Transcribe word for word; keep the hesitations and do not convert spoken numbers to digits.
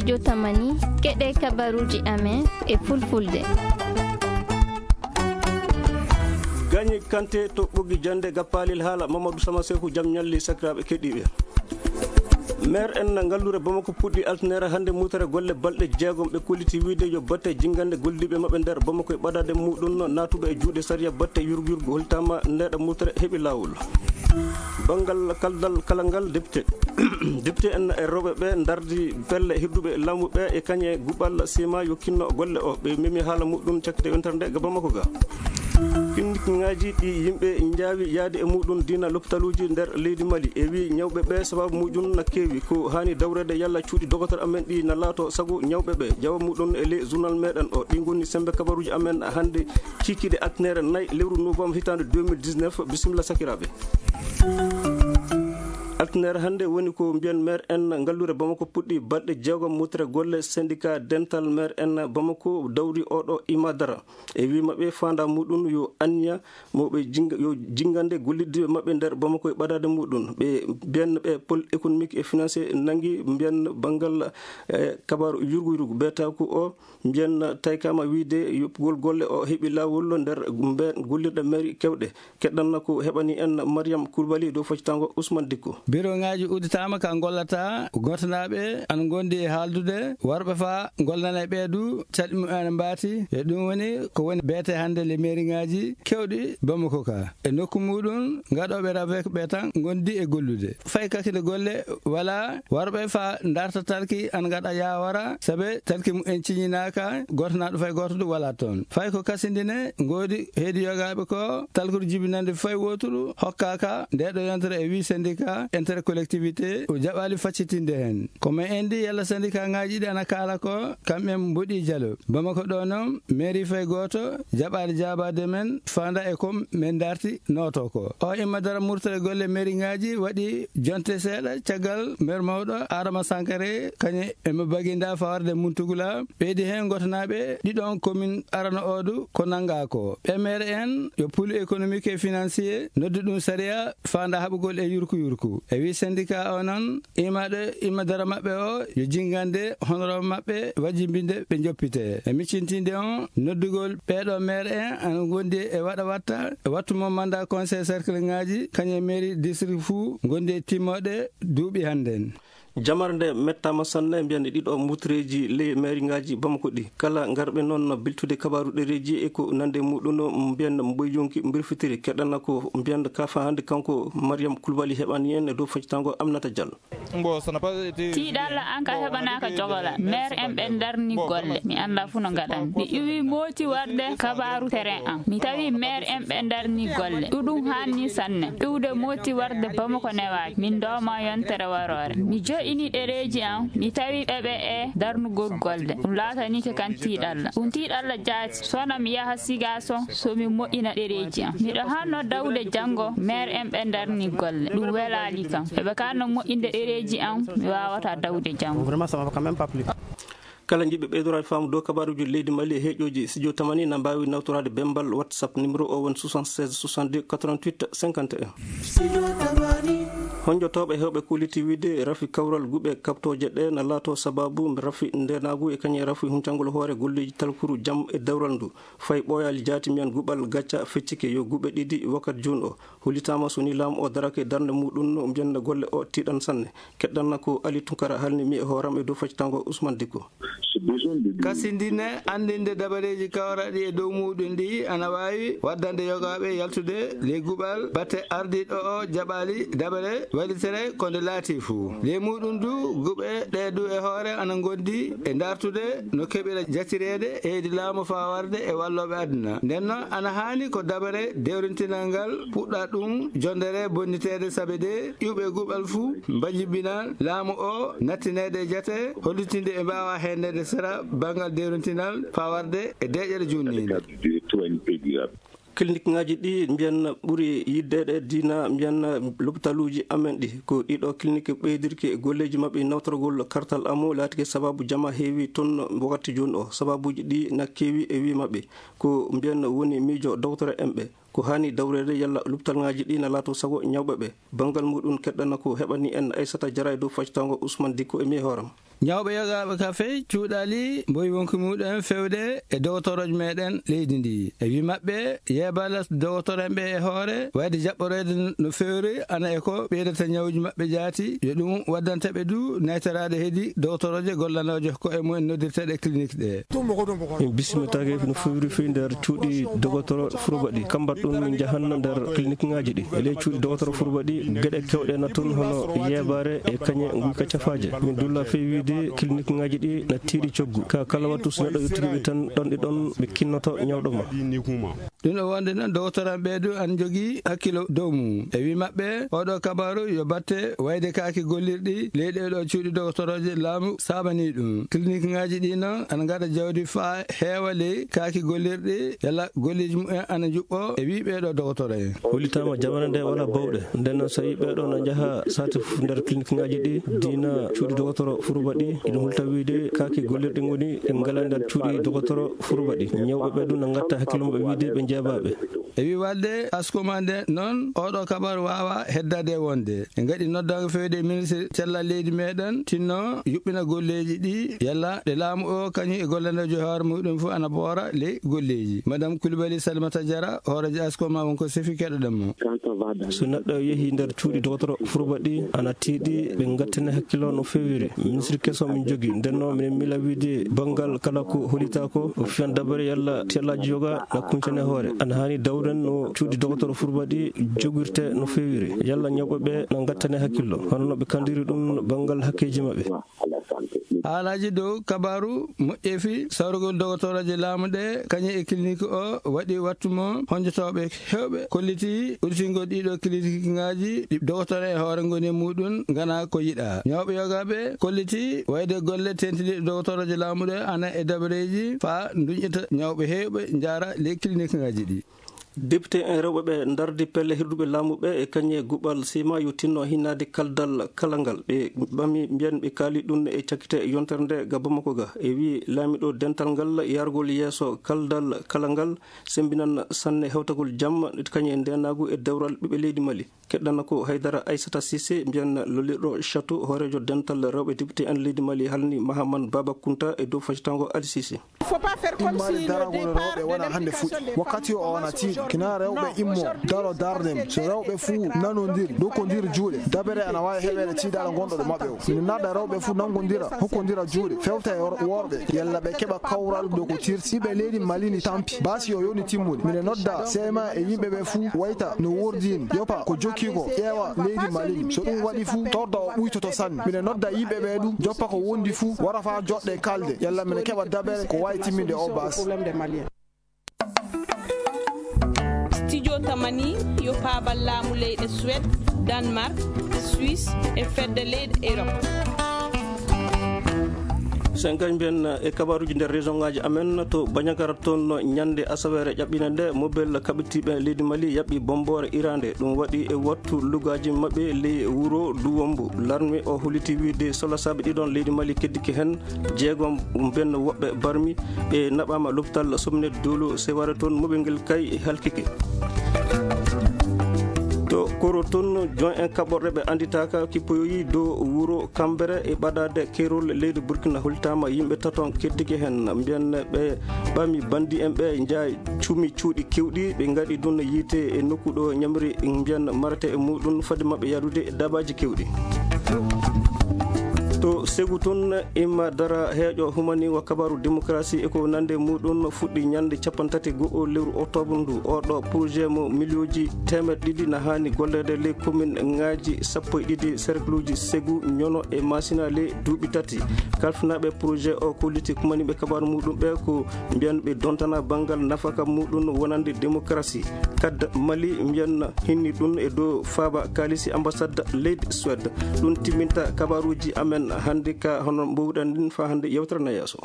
Studio Tamani, keɗe kabaruji amen e fulfulde. Gagné Kanté to Ɓoggi Jannde Gappaalel Haala, Mamadou Sama Seeku, jam ñalli sakiraaɓe keɗiiɓe. Maire en ngallure Bamako puɗɗi altine hannde mutere golle balɗe jeegom. Ɓe kolliti wiide yo batte jingande gollidiiɓe maɓɓe nder Bamako e ɓadaade muɗum naatuɗo e juuɗe sariya batte yurgu yurgu holtaama ndeeɗa mutere heɓi laawol. Banngal kaldal kala ngal député. Député en e rewɓe ɓe ndardi pelle hirduɓe laamu ɓe e kañe guɓal sima yo kinno golle o. Ɓe memi haala muɗum cakkite yontere nde ga Bamako ga. Clinique ŋaaji ɗi yimɓe njaawi yaade e muɗum dina lopitaluuji nder leydi Mali. E wi ñawɓe ɓe sababu muɗum na keewi. Ko haani dawrede yalla cuuɗi dogotor amen ɗi na laato sago ñawɓe ɓe. Jawa muɗum e ley journal meɗen o. Ɗi ngoni sembe kabaruuji amen hannde cikiɗe altinere nayi lewru novembre hitaande deux mille dix-neuf. Bisimilla sakiraaɓe. Altinere hannde woni ko mbiyen maire en ngallure Bamako puɗɗi balɗe jeegom mutere golle syndicat dental maire en Bamako dawri oɗo imadara. E wi maɓɓe fanda muɗum yo anniya mo ɓe jinga-, yo jingande gollidde maɓɓe nder Bamako e ɓadaade muɗum. Ɓe mbiyen ɓe pôle économique et financier nangi mbiyen banngal, eh, kabaru yurgu yurgu beetaku o. Mbiyen taykama wiide yoɓugol golle o heɓi laawol nder mbe gollirɗe mairie kewɗe. Keɗɗanna ko heɓani en Mariam Koulibaly dow faccitango Ousmane Dicko. Biro ŋaaji udditaama ka ngollata, gotanaaɓe ana ngondi e haaldude, warɓe fa gollana e ɓeedu, caɗi mum ana mbaati. E ɗum woni ko woni beete hannde le mairie ŋaaji kewɗi Bamako ka. E nokku muɗum, ngaɗooɓe ravek ɓe tan ngondi e gollude. Fay kakinde golle wala, warɓe fa ndarta talki an ngaɗa yawara, sabe talki mu en ciñinaaka, goto na ɗo fay goto ɗo wala toon. Fay ko kasindine, ngoodi heedi yogaaɓe ko, talkuru jibinande fay woturu, hokkaaka, nde ɗo yontere e wi syndicat, intercollectivité, o jaɓali faccitinde hen. Ko me endi yalla syndicat ŋaaji ɗi ana kaala ko, kamɓe mboɗi jalo. Bamako ɗo noon, mairie fay goto, jaɓali jaabade men, fanda e kom men darti, nooto ko. O imma dara murtere golle mairie ŋaaji waɗi jonte seeɗa caggal maire mawɗo Adama Sankare, kañe e mo baginda fawarde Muntugula, ɓeydi heen gotanaaɓe ɗiɗon commune arano oɗo ko nanga ko. Ɓe maire en yo pôle économique et financier noddu ɗum sariya fanda haɓugol e yurku yurku. E wi syndicat o noon, imaɗo imma dara maɓɓe o yo jingande honorable maɓɓe wajibinde ɓe joppite. E miccintinde on noddugol ɓeeɗo maire en ana ngondi e waɗa watta e wattu mo mandat conseil cercle ŋaaji kañum e mairie district fuu ngondi e timmoɗe duuɓi hannden. Jamar nde mettaama sanne, mbiyen ɗiɗo mutreeji ley mairie ŋaaji Bamako ɗi. Kala ngarɓe noon biltude kabaaru ɗereeji e ko nande muɗum, mbiyen mboy yonki mbirfitiri. Keɗana ko mbiyen kafa hannde kanko Mariam Koulibaly heɓani en e dow faccitango Aminata Diallo. Tiiɗalla an ka heɓanaaka jogola. Maire en ɓe ndarni golle. Mi annda fu no ngaɗan. Mi iwi mooti warde kabaaru terrain an. Mi tawi maire en ɓe ndarni golle. Ɗuɗum hanni sanne. Iwde mooti warde Bamako newaaki. Min dooma yontere waroore. Mi jo'ini ɗereeji an. Mi tawi ɓe ɓe e darnugol golle. Ɗum laatanike kan tiiɗalla. Ɗum tiiɗalla jaati. Sona mi yaha Sigaso, so mi moƴƴina ɗereeji am. Miɗo hanno dawde janngo, maire en ɓe ndarni golle. Ɗum welaali kam. Eɓe kanno moƴƴinde ɗereeji am, mi waawata dawde janngo. Kala jiɗɓe ɓeydoraade faamu dow kabaaruuji leydi Mali e heeƴooji studio Tamani na mbaawi nawtoraade bembal WhatsApp numéro o woni soixante-seize soixante-deux quatre-vingt-huit cinquante et un. Honjotooɓe heewɓe kolliti wiide rafi kawral guɓe kaɓtooje ɗe na laato sababu rafi ndeenaagu e kañum rafi huncangol hoore golleeji talkuru jam e dawral ndu. Fay ɓooyaali jaati mbiyen guɓal gacca feccike yo guɓe ɗiɗi wakkati jooni o. Hollitaama so ni laamu o darake darnde muɗum no mbiyen golle o tiiɗan sanne. Keɗɗanna ko Ali Tunkara halni mi e hooram e dow faccitango Ousmane Dikko. Kasindine anndinde dabareeji kawraɗi e dow muɗum ɗi ana waawi waddande yogaaɓe yaltude ley guɓal batte ardiiɗo o jaɓaali dabare wallitere ko nde laati fuu. Ley muɗum du guɓe ɗe du e hoore ana ngondi e dartude no keɓira jatireede e hedi laamu faa warde e wallooɓe aduna. Nden noon ana haani ko dabare dewrintinal ngal puɗɗa ɗum jondere bonniteede sabe de iwɓe guɓal fuu mbajibinal laamu o nattineede e jate hollitinde ɓe mbaawa heendeede sera banngal dewrintinal faa warde e deeƴere juutniinde. Clinique ŋaaji ɗi mbiyen ɓuri yiddeede diina mbiyen lopitaluuji amen ɗi. Ko ɗiɗo clinique ɓeydirki e golleeji maɓɓe nawtorgol kartal amu laatike sababu jama heewi toon wakkati jooni o. Sababuuji ɗi na keewi e wi maɓɓe. Ko mbiyen woni miijo dowtore en ɓe. Ko haani dawreede yalla lopitaluuji ɗi na laato sago ñawɓe ɓe. Banngal muɗum keɗɗana ko heɓani en Aissata Diarra e dow faccitango Ousmane Dikko e mi e hooram. Ñawɓe yogaaɓe ka fey cuuɗaali mboyi wonki muɗum en fewde e dogotoroje meɗen leydi ndi. E wi maɓɓe, yeebala dogotoro en ɓe e hoore, wayde jaɓɓoroyde no fewri, ana e ko ɓeydata ñawuji maɓɓe jaati, yo ɗum waddanta ɓe du naytoraade hedi dogotoroje gollanooje ko e mumen noddirteeɗe clinique ɗe. Min bismitaake no fewri fey nder cuuɗi dogotoro Furba ɗi. Kambat ɗum min njahanno nder clinique ŋaaji ɗi. E ley cuuɗi dogotoro Furba ɗi, geɗe kewɗe na toon hono yeebaare e kañe nguyka cafaaje. Min dulla fey wiide clinique ŋaaji ɗi na tiiɗi coggu. Ka kala wattu so neɗɗo yottirii ɓe tan ɗon ɗi ɗon ɓe kinnoto ñawɗo ma. Ɗum o wonde noon dogotoro en ɓee du ana njogii hakkilo dow mum. E wi maɓɓe, oɗo kabaru yo batte wayde kaaki gollirɗi ley ɗee ɗo cuuɗi dogotoroje laamu saabanii ɗum. Clinique ŋaaji ɗi noon ana ngaɗa jawdi faa heewa ley kaaki gollirɗi, yalla golleeji mumen ana njuɓɓo e wi ɓee ɗo dogotoro en. Hollitaama jamane nde wala bawɗe. Nden noon so yimɓe ɗo na njaha sati fof nder clinique ŋaaji ɗi, diina cuuɗi dogotoro Furba ɗi, ina hulta wiide kaaki gollirɗi ngoni ɗi ngala nder cuuɗi dogotoro Furba ɗi. Ñawɓe ɓe ɗum na ngatta hakkille mum ɓe wiide ɓe njeebaaɓe. E wi walde askuma nde noon, oɗo kabar waawa heddade wonde. En ngaɗi noddaango fewde e ministre cellal leydi meɗen, tinno yuɓɓina golleeji ɗi, yalla ɗe laamu o kañum e gollanoojo hoore muɗum fof ana boora ley golleeji. Madame Coulibaly Salimata Diarra, hooreejo askuma won ko sefi keɗoɗen mo. So neɗɗo yehi nder cuuɗi dogotoro Furba ɗi, ana tiiɗi ɓe ngattane hakkilo no fewiri. Ministre keso min jogi, nden noon minen mila wiide banngal kala ko holita ko, o fiyan dabare yalla tellaaji yoga na kuncane hoore. Ana haani dawren no cuuɗi dogotoro Furba ɗi jogirte no fewiri. Yalla ñawɓe ɓe na ngattane hakkillo, hono no ɓe kandiri ɗum banngal hakkeeji maɓɓe. Haalaaji dow kabaru moƴƴeefi sawrugol dogotoroje laamu ɗe, kañum e clinique o waɗi wattu mo honjotooɓe heewɓe kolliti udditingol ɗiɗo clinique ŋaaji ɗi dogotoro e hoore ngoni e muɗum ngana ko yiɗa. Ñawɓe yogaaɓe kolliti wayde golle tentiniiɗe dogotoroje laamu ɗe ana e dabareeji faa nduñƴita ñawɓe heewɓe njaara ley clinique ŋaaji ɗi. Député en rewɓe ɓe ndardi pelle hirduɓe laamu ɓe e kañe guɓal sima yo tinno hinnaade kaldal kala ngal. Ɓe ɓami mbiyan ɓe kaali ɗum e cakkite yontere nde ga Bamako ga. E wi laamiɗo dental ngal yargol yeeso kaldal kala ngal sembinan sanne hewtagol jam kañe ndenagu e dewral ɓiɓɓe leydi Mali. Keɗɗana ko Haydara Aissata Cissé, mbiyan lollirɗo Château, hooreejo dental rewɓe député en leydi Mali halni Mahaman Baba Kunta e dow facitango Ali Cissé. Faut pas faire comme si le départ de l'implication des femmes. Wakkati o wona tiiɗo kina rewɓe immo daro darde mum. So rewɓe fuu nanondiri, dokkondir juuɗe, dabere ana waawi heɓeede tiiɗaala ngonɗo ɗo maɓɓe o. Min naɗa rewɓe fuu nangondira, hokkondira juuɗe, fewta e wor-, worɓe, yalla ɓe keɓa kawral dow ko tirti. Ɓiɓɓe leydi Mali ni tampi. Baasi o yoni timmude. Mine nodda C M A e yimɓe ɓe fuu wayta no wordi ni. Yopa ko jokki ko ƴeewa leydi Mali ni. So ɗum waɗi fuu, torda o ɓuytoto sanne. Mine nodda yimɓe ɓe ɗum, joppa ko wondi fuu, wara faa joɗɗe kalde. Yalla mine keɓa dabere ko waawi timminde o baasi. Studio Tamani yo paabal laamu leyɗe Suède, Danemark, Suisse e fedde leyɗe Europe. Sen kañ mbiyen e kabaruji nder région ngaji amen to Bandiagara toon ñande asaweere ƴaɓɓinde nde mobel kaɓitiiɓe leydi Mali yaɓɓi bomboore irande. Ɗum waɗi e wattu lugaji maɓɓe ley wuro Duwombo. Larme o holliti wiide solasaɓe ɗiɗon leydi Mali keddike hen jeegom mben woɓɓe barmi. Ɓe naɓaama lopital Somnet Dolo Seware toon moɓel ngel kay halkike. To Koro toon, join en kaɓorɗe ɓe annditaaka kippoyoyi dow wuro Kambere e ɓadaade keerol leydi Burkina holtaama yimɓe taton keddike heen. Mbiyan ɓe ɓami bandi en ɓe njaay cumi cuuɗi kewɗi, ɓe ngaɗi ɗum yiite e nokku ɗo ñamri mbiyan marate e muɗum fade maɓɓe yadude e daabaaji kewɗi. To Segu toon, imma dara heeƴo humani wa kabaru démocratie e ko nande muɗum fuɗɗi ñande capanɗe tati go'o lewru octobre ndu. Oɗo projet mo miliyonji teemeɗɗe ɗiɗi na haani golleede ley commune ŋaaji sappo e ɗiɗi cercle uji Segu, Ñono e Masina ley duuɓi tati. Kalfinaaɓe projet o kolliti kumaniiɓe kabaru muɗum ɓe ko mbiyan ɓe dontana banngal nafaka muɗum wonande démocratie. Kadda Mali mbiyan hinni ɗum e dow faaba kaalisi ambassade leydi Suède. Ɗum timminta kabaruuji amen hannde ka hono mbowɗen ɗin faa hannde yewtere na yeeso.